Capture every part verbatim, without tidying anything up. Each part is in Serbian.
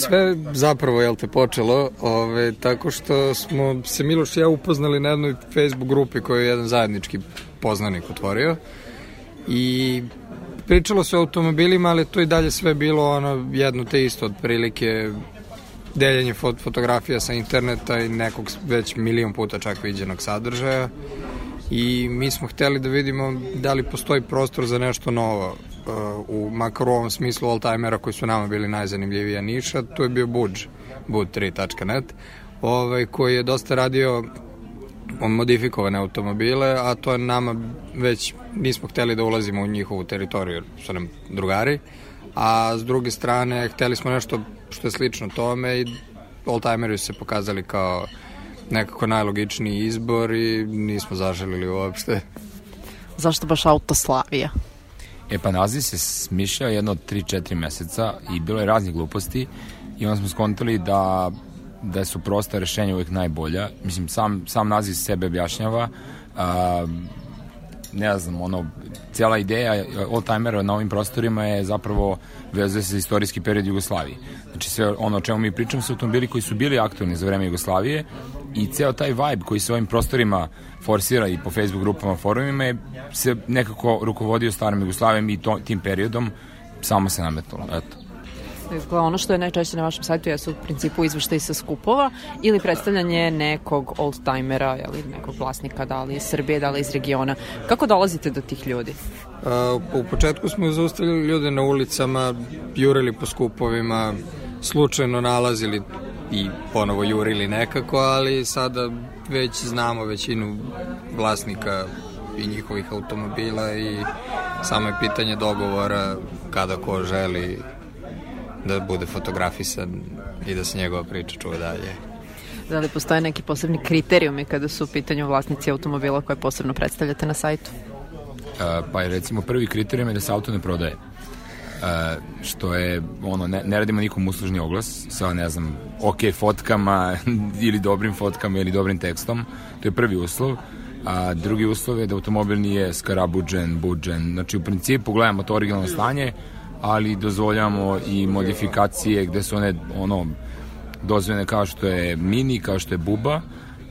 sve zapravo, jel te, počelo ove, tako što smo se Miloš i ja upoznali na jednoj Facebook grupi koju je jedan zajednički poznanik otvorio i pričalo se o automobilima, ali to i dalje sve bilo ono jedno te isto, otprilike deljenje fot fotografija sa interneta i nekog već milion puta čak viđenog sadržaja i mi smo hteli da vidimo da li postoji prostor za nešto novo, u makar u ovom smislu oldtimera koji su nama bili najzanimljivija niša. To je bio Budge, budge tri tačka net, ovaj, koji je dosta radio modifikovane automobile, a to je nama već nismo hteli da ulazimo u njihovu teritoriju, jer su nam drugari, a s druge strane hteli smo nešto što je slično tome i oldtimeri su se pokazali kao nekako najlogičniji izbor i nismo zaželili uopšte. Zašto baš Autoslavija? E pa naziv se smišljao jedno od tri četiri meseca i bilo je raznih gluposti i onda smo skontali da, da su prosta rešenja uvijek najbolja. Mislim, sam, sam naziv sebe objašnjava. A, ne znam, ono, cijela ideja oldtimera na ovim prostorima je zapravo vezuje se za istorijski period Jugoslavije. Znači sve ono o čemu mi pričamo su automobili koji su bili aktualni za vreme Jugoslavije i ceo taj vibe koji se ovim prostorima forsira i po Facebook grupama, forumima je se nekako rukovodio starom Jugoslavijom i to, tim periodom samo se nametnulo. Eto. Dakle, ono što je najčešće na vašem sajtu jesu u principu izveštaji sa skupova ili predstavljanje nekog oldtimera ili nekog vlasnika, da li iz Srbije, da li iz regiona. Kako dolazite do tih ljudi? Uh, u početku smo zaustavili ljude na ulicama, jurili po skupovima, slučajno nalazili i ponovo jurili nekako, ali sada već znamo većinu vlasnika i njihovih automobila i samo je pitanje dogovora kada ko želi da bude fotografisan i da se njegova priča čuje dalje. Da li postoje neki posebni kriterijumi kada su u pitanju vlasnici automobila koje posebno predstavljate na sajtu? Uh, pa je recimo prvi kriterijum je da se auto ne prodaje. Uh, što je, ono, ne, ne radimo nikom uslužni oglas sa, ne znam, ok fotkama ili dobrim fotkama ili dobrim tekstom. To je prvi uslov. A drugi uslov je da automobil nije skarabuđen, buđen. Znači, u principu gledamo to originalno stanje, ali dozvoljamo i modifikacije gde su one, ono, dozvoljene kao što je Mini, kao što je Buba,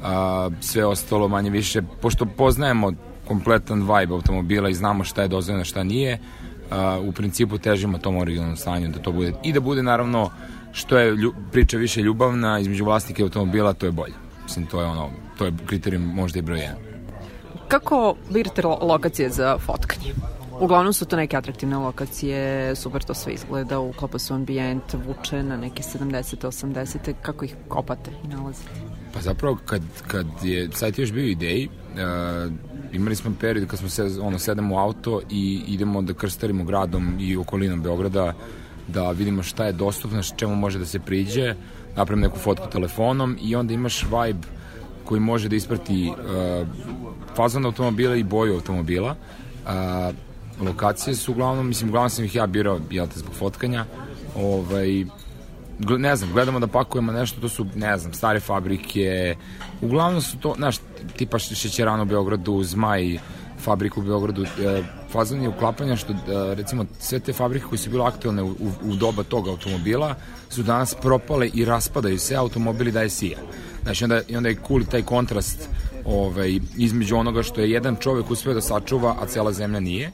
a sve ostalo manje više, pošto poznajemo kompletan vibe automobila i znamo šta je dozvoljeno, šta nije, a, u principu težimo tom originalnom stanju da to bude, i da bude naravno što je lju, priča više ljubavna između vlasnika automobila, to je bolje. Mislim, to je ono, to je kriterijum možda i broj jedan. Kako birate lokacije za fotkanje? Uglavnom su to neke atraktivne lokacije, super to sve izgleda, uklapa su ambijent, vuče na neke sedamdesete, osamdesete, kako ih kopate i nalazite? Pa zapravo kad, kad je sajt još bio ideji, uh, imali smo period kad smo se, ono, sedemo u auto i idemo da krstarimo gradom i okolinom Beograda, da vidimo šta je dostupno, čemu može da se priđe, napravimo neku fotku telefonom i onda imaš vibe koji može da isprati uh, fazon automobila i boju automobila. Uh, lokacije su uglavnom, mislim, uglavnom sam ih ja birao, jel te, zbog fotkanja. Ovaj, ne znam, gledamo da pakujemo nešto, to su, ne znam, stare fabrike, uglavnom su to, znaš, tipa šećerana u Beogradu, Zmaj, fabriku u Beogradu, e, fazon je uklapanja što, e, recimo, sve te fabrike koje su bile aktualne u, u, u doba tog automobila su danas propale i raspadaju se, automobili daje sija. Znači, onda, onda je cool taj kontrast ovaj, između onoga što je jedan čovek uspeo da sačuva, a cela zemlja nije.